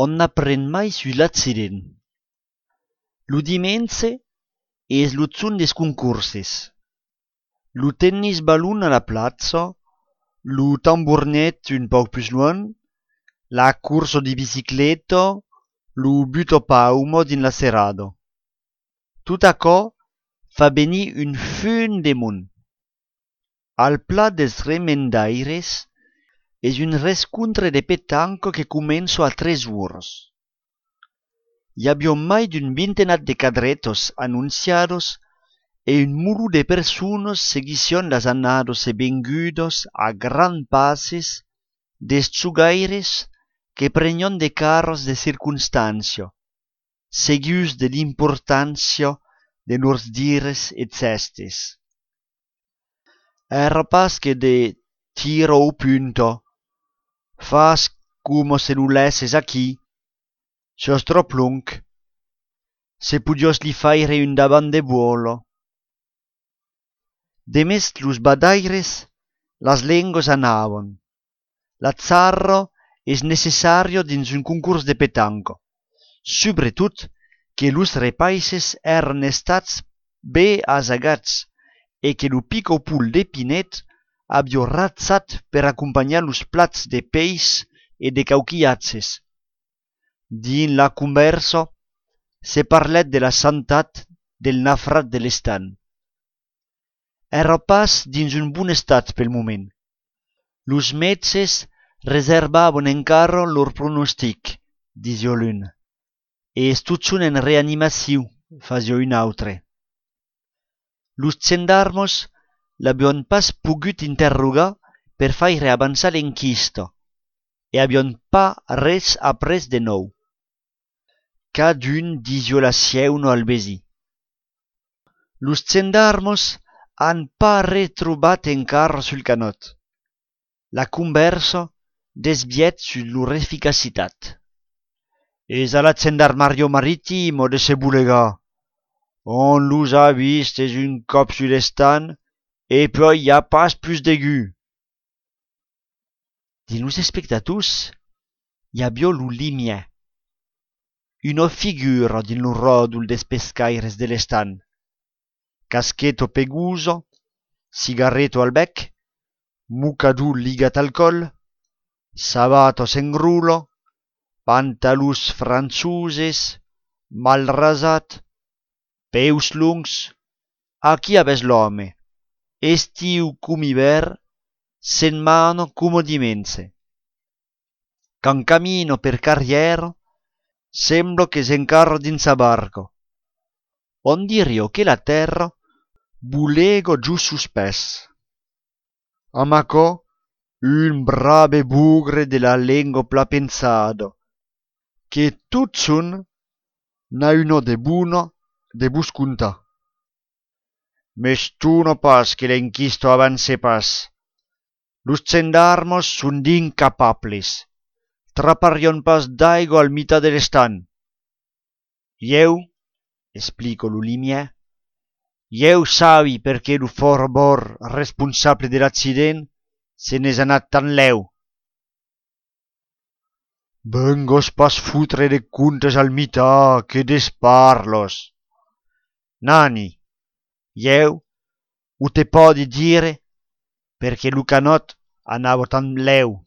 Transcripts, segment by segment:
on n'apprend mai su l'accident. Lu dimense es lu zun des concurses. Lu tennis ballon a la plaza, lu tamburnet un poc plus loin, la curso di bicicletta, lu buto paumo din la serrado. Tot aquò fa venir un fun de mon. Al plat des remendaires es un rescontre de petanco que començo a 3 ures. Hi avió mai d'un vintenat de cadretos anunciados e un muru de persones seguission las annados e vengudos a gran passes des chugaires que pregnon de carros de circunstancio, seguius de l'importància de lors dires et cestes. Era pas que de tiro o punto, fas como se lu lesses aquí, sos trop long, se pudios li faire un davant de vuolo. Demest los badaires, las lengos anavan. L'atzarro es necessario dins un concurs de petanco, sobretot que los repaises eren estats be asagats e que lo pico pul de Pinet avió razzat per acompanyar los plats de peix e de cauquiatges. Din la conversa se parlet de la santat del nafrat de l'estan. Era pas dins un bon estat pel moment. Los metges reservaven encara lor pronostic, disio l'un, e estuchun en reanimació, fasio un autre. Los gendarmos l'avion pas pogut interrogar per faire avançar l'enquista, e avion pas res après de nou. Cadun disio la sieu al vesi. Los gendarmos han pas retrobat encara sul canot. La conversa desviet sur lor eficacitat. Es a la gendarmario maritimo de se bulega. On los ha vistes un cop sur l'estan e poi hi ha pas plus d'aigu. Din los espectators hi avió lo Limier, una figura din lo ròdol des pescaires de l'estan. Caschetto pegoso, cigarretto al bec, mucador ligat al coll, sabatos en rulo, pantalons franzuses, mal rasat, peus lungs. Aquí aves l'home, estiu cum hivern, sen mano como dimense. Can camino per carriera, sembla che s'encarra dins sa barca. On dirio che la terra bulego giù suspès. Amacò un brave bugre de la lengua pla pensado, che tot sun n'a uno de buno de buscunta. Mestuno pas que l'enquisto avance pas. Los gendarmos sun d'incapables. Traparion pas d'aigua al mitad de l'estan. Jeu, explico lo Limier, jeu sabi perché lo forbor responsable de l'accident se n'és anat tan leu. Vengos pas futre de contes al mitad, que desparlos. Nani, jeu ho te podi dire perché lo canot anava tan leu.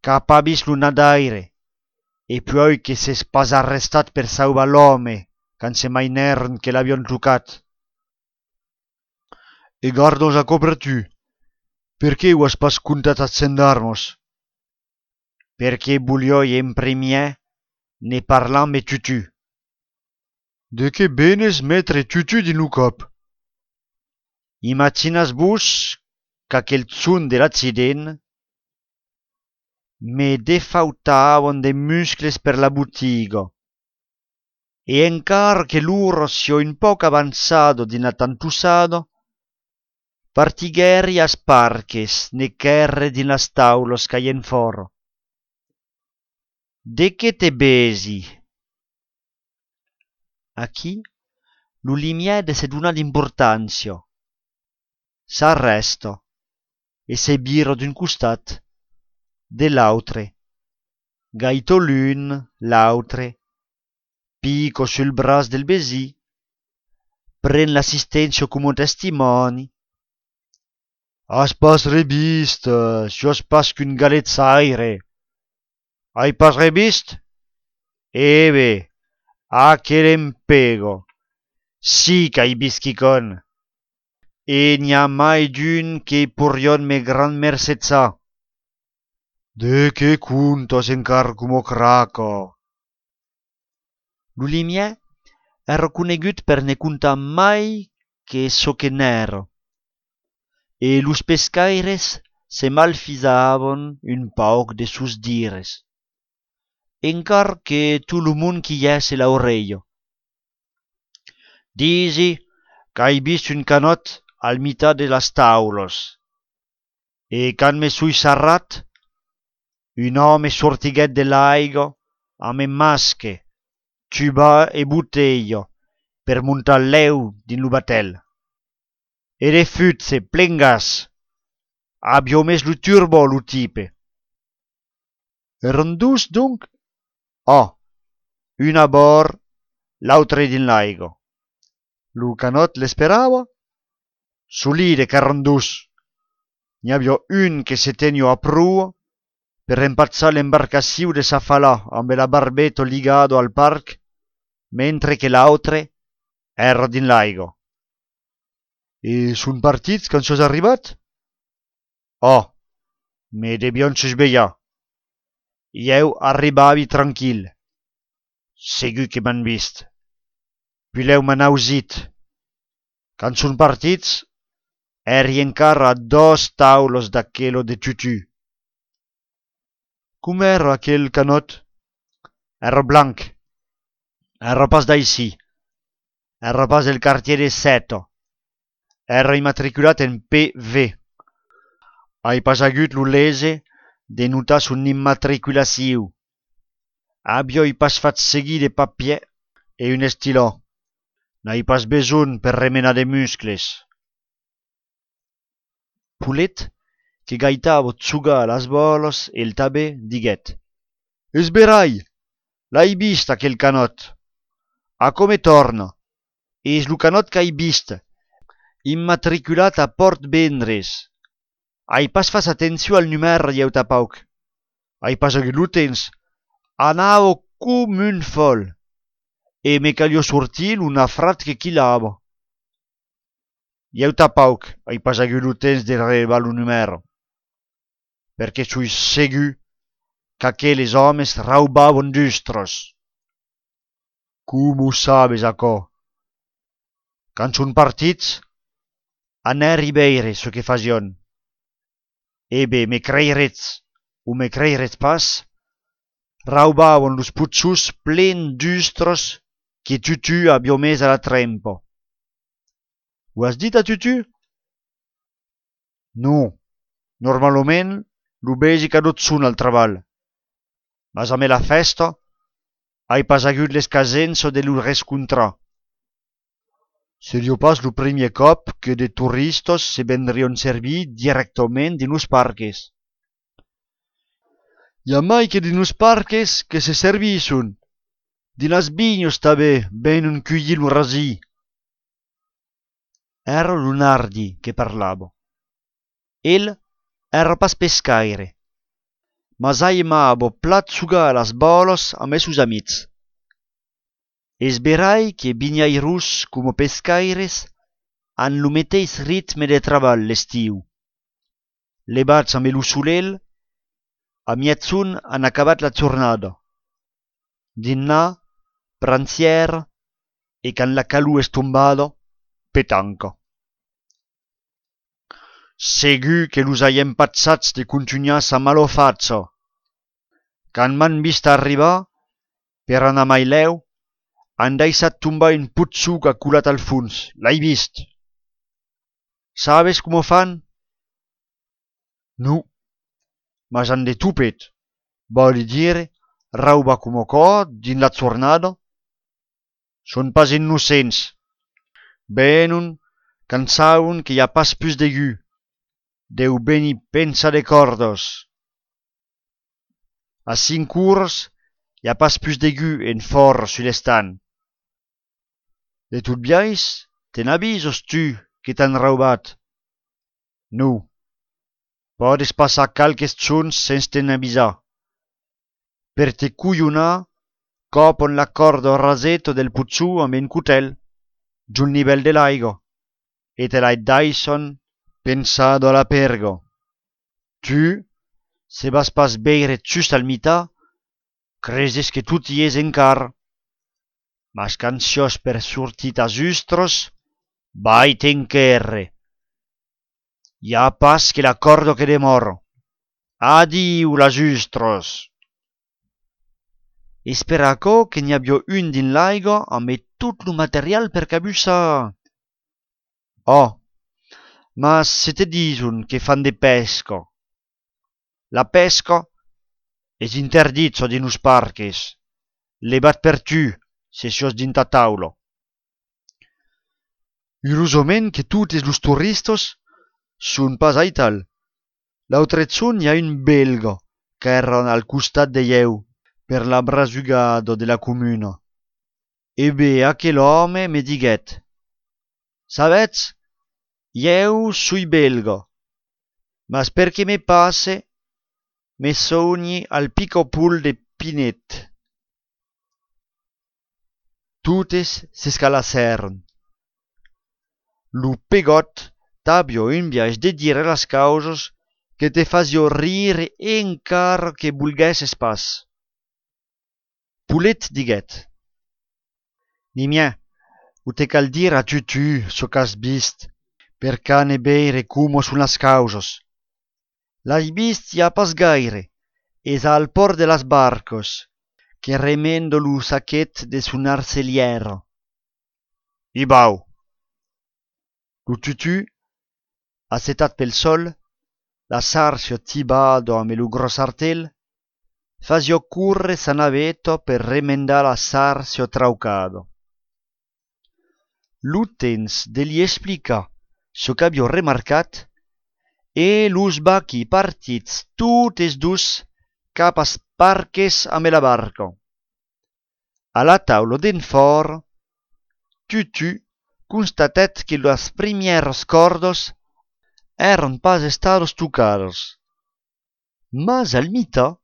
Cap ha vist lo nadaire, e poi che s'es pas arrestat per sauvar l'home quand se mainèren que l'avion trucat. E gardos a copertu, perché ho has pas contat als gendarmos? Perché voglioi en premier ne parlar me tutu. De que benes metre tutu din lo cop? Imaginas vos qu'aquel zun de l'accident me defautavan de muscles per la botiga. E encara che loro sio un poc avanzado din la tantussada, partigueri as parches ne cherre din las taulos caien fora. De che te besi? Aquí lo Limier de se dona l'importància. S'arresta e se bira d'un costat de l'autre. gaito l'un, l'autre, pico sul bras del besì, pren l'assistentio como testimoni. Has pas rebist, jos pas qu'un galet saire. Hai pas rebist? Ebe, aquel empego. Sí qu'hai bisquicon. E n'hi ha mai d'un que purion me gran mercetza. De que cuntos encar como craco. Lu limiè è reconegut per ne contar mai che so che n'ero. E los pescaires se malfisavon un pauc de sus dires. Encar que tu lo mund chiese l'aureio. Disi qu'hai vist un canot al mitad de las taulos. E can me sui sarrat, un home sortiguet de l'aigo amb masche, tuba e buteio per montar l'eu din lo batel. E de futse, plen gas. Abbio mes lo turbo lo tipe. Eran dus, donc? Oh, un a bord, l'autre din l'aigo. Lo canot l'esperava? Solide qu'eran dus. N'hi abbia un che se tenio a prua per impazzare l'embarcazione de sa falà amb la barbeto ligado al parc, mentre che l'autre era din l'aigo. E sun partits quand sos arribat? Oh, me debion susbeiar. Ieu arribavi tranquil. Segur que m'han vist. Pileu m'han ausit. Quand sun partits, eri encara a 2 taulos d'aquelo de tutu. Com era aquel canot? Era blanc. Era pas d'aisí. Era pas del quartier de Seto. Era immatriculat en PV. Hai pas agut lo lese de notar son immatriculaciu. Abbio pas fat seguir de papier e un estilò. N'hai pas besoin per remenar de muscles. Pulet, che gaitavo tsuga las bolos e il tabè, diguet. Esberai, l'hai vist aquel canot. A come torna? Es lo canot qu'hai vist, immatriculat a Port Vendres. Hai pas fas atenció al numèr ieu tapauc. Hai pas agut lo temps. Anavo com un fol. E me calio sortir una frat que quilava. Ieu tapauc, hai pas agut lo temps de revar lo numèro. Perché sui segur qu'aqueles homes raubavon dustros. Como sabes aquò? Quand son partits, anè ribeire so que fasion. Ebe, me creiretz, o me creiretz pas, raubavon los puzzos plen d'ustros que tutu abbio mes a la trempo. Ho has dit a tutu? No, normalment lo besi ca dot sun al traval. Mas a me la festa, hai pas agut l'escasenso de lo rescontrar. Serio pas lo primier cop que de turistos se vendrion servir directament din los parques. Hi ha mai que din los parques que se servisson. Din las vignos tabè venon cueillir lo rasì. Era lo Nardi che parlavo. El era pas pescaire, mas aimavo plat sugar las bolos a mes sus amics. Esberai que biniairus como pescaires han lo meteis ritme de traval l'estiu. Lebats amb lo solel, a mietzun han acabat la jornada. Dinà, pranzier, e can la calor es tombada, petanca. Segur que los hai empatzats de continuar sa malofazza. Can m'han vist arribar, per anar mai leu, han deixat tombar un putzuc aculat al fons. L'hai vist? Sabes com ho fan? No, mas han de tupet. Voli dire, rauba como co din la jornada. Son pas innocents. Venon, can saun que hi ha pas plus de gu. Deu beni pensa de cordos. A 5 hours, y a pas plus d'aigu en fort sur l'estan. De tout biais, te n'avisos tu que t'han raubat? Nu. Podes passar calques txons sens te'n avisar. Per te cuionar, copon la corda o rasetto del puzzù amb un cutel, giù nivell de l'aigo, e te l'hai Dyson pensado alla pergo. Tu, se vas pas beire just al mità, creses que tu ti es encar. Mas canciós per sortir a justros, vai t'enquerre. Ja pas que l'accordo que demoro. Adiu la justros. Esperaco que n'hi abbia un din l'aigo amb tot lo material per cabussar. Oh, mas se te dison que fan de pesco. La pesca es interdito din os parques. Levat per tu, se sos dinta taulo. Urosoment que totes los turistos sun pas aital. L'autre zon hi ha un belga qu'era al costat de jeu per la brasugado de la comuna. E bé, aquel home me diguet: «Sabetz, jeu sui belga, mas perché me passe, me sogni al picopul de Pinet.» Totes s'escalassèron. Lo pegot t'abbia un biaix de dire las causos que te fasio rire encara que vulguesses pas. Pulet diguet: «Nimia, o te cal dir a tu so qu'has vist, per cane beire como son las causos. L'hai vist ja pas gaire, es al port de las barcos, que remendo lo saquet de son arceliero.» I bau. Lo tutu, assetat pel sol, la sarcio tibado amb lo gros artel, fasio curre sa navetto per remendar la sarcio traucado. L'utens de li explica so qu'abbia remarcat e los bachi partits totes dus cap as parques amb la barca. A la taula d'en for, tutu constatet que las primieros cordos eran pas estados tocados, mas al mità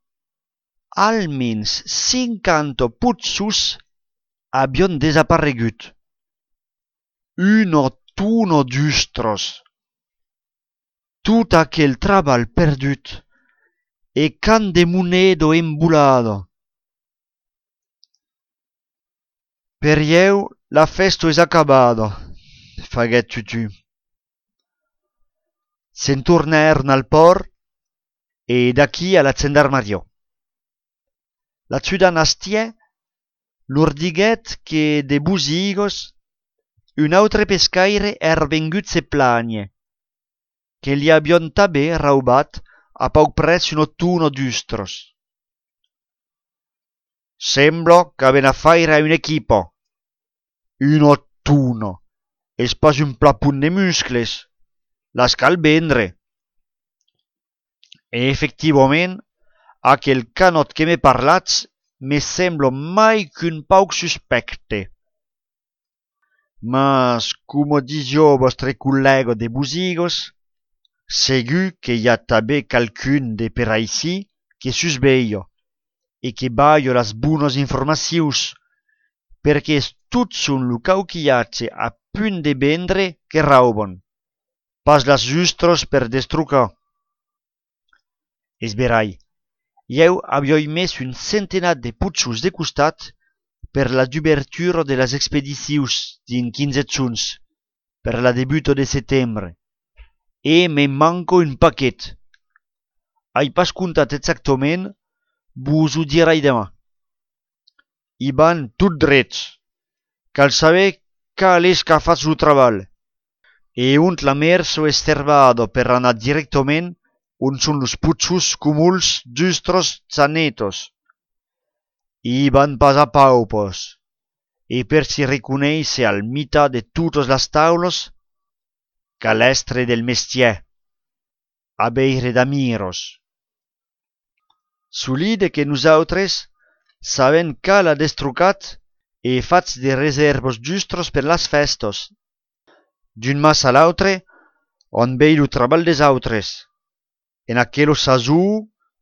almens 50 puzzos habían desaparegut. Uno tuno d'ustros. Tot aquel trabal perdut e can de monedo embulado. Per jeu la festo es acabado, faguet tutu. Se'n tornaron al port e d'aquí a la gendarmeria. La ciudan astie lor diguet que de busigos un autre pescaire era vengut se plagne, que li abion tabè raubat a pauc pres un tuno d'ustros. Sembla qu'aven a faire a un equipo. Un tuno, es pas un plapun de muscles, las cal vendre. E efectivament, aquel canot que me parlatz me sembla mai qu'un pauc suspecte. Mas, como dizio vostre collègo de busigos, segur que hi ha també calcun de per aicí que susveio e que baio las bonas informacions, perquè tot son lo cauquillatge a punt de vendre que rauben, pas las justros per destrucar. Esberai, jeu avioi mes un centenat de puzzos de costat per la d'ubertura de las expedicions din 15 txuns, per la debuto de setembre, e me manco un paquet. Ai pas contat exactament, vos ho dirai demà. I van tot drets, cal saber cal és que fas lo treball, e ont la merso es servado per anar directament on son los puzzos cumuls giustros zanetos. I van pas a paupos, e per si riconeisse al mità de totes las taulos, calestre del mestier, a beire d'amiros. Solide que nosaltres sabem cal ha destrucat e fats de reservos giustros per las festos. D'un mas a l'autre, on vei lo treball des autres. En aquello sasú,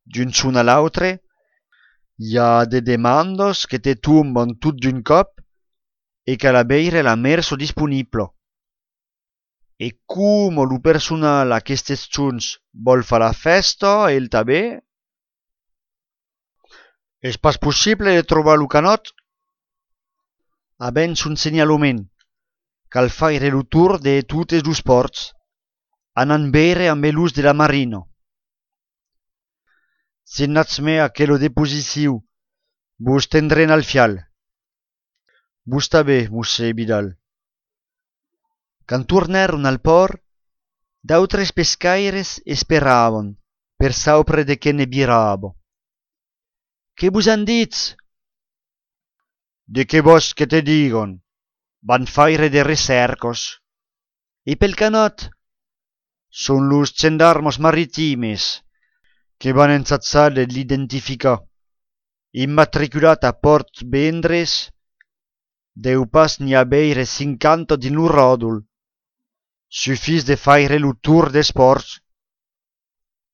d'un son a l'autre, hi ha de demandos que te tomban tot d'un cop e cal abeire la merso disponiblo. E como lo personal aquestes chons vol fa la festa e el tabè? És pas possible de trobar lo canot? Abens un segnalament. Cal faire lo tour de totes los ports, anant beire amb elus de la marino. Si natz me aquello deposiciu, vos tendren al fial. Vos tabè, mosse Vidal. Quand tornaron al port, d'autres pescaires esperavan per saupre de que ne virabo. Que vos han dit? De que vos que te digon? Van faire de recercos. E pel canot? Son los gendarmos maritimes que van ensatzar de l'identificar. Immatriculat a Port Vendres, deu pas n'hi abeire 50 din lo ròdol. Sufís de faire lo tour des ports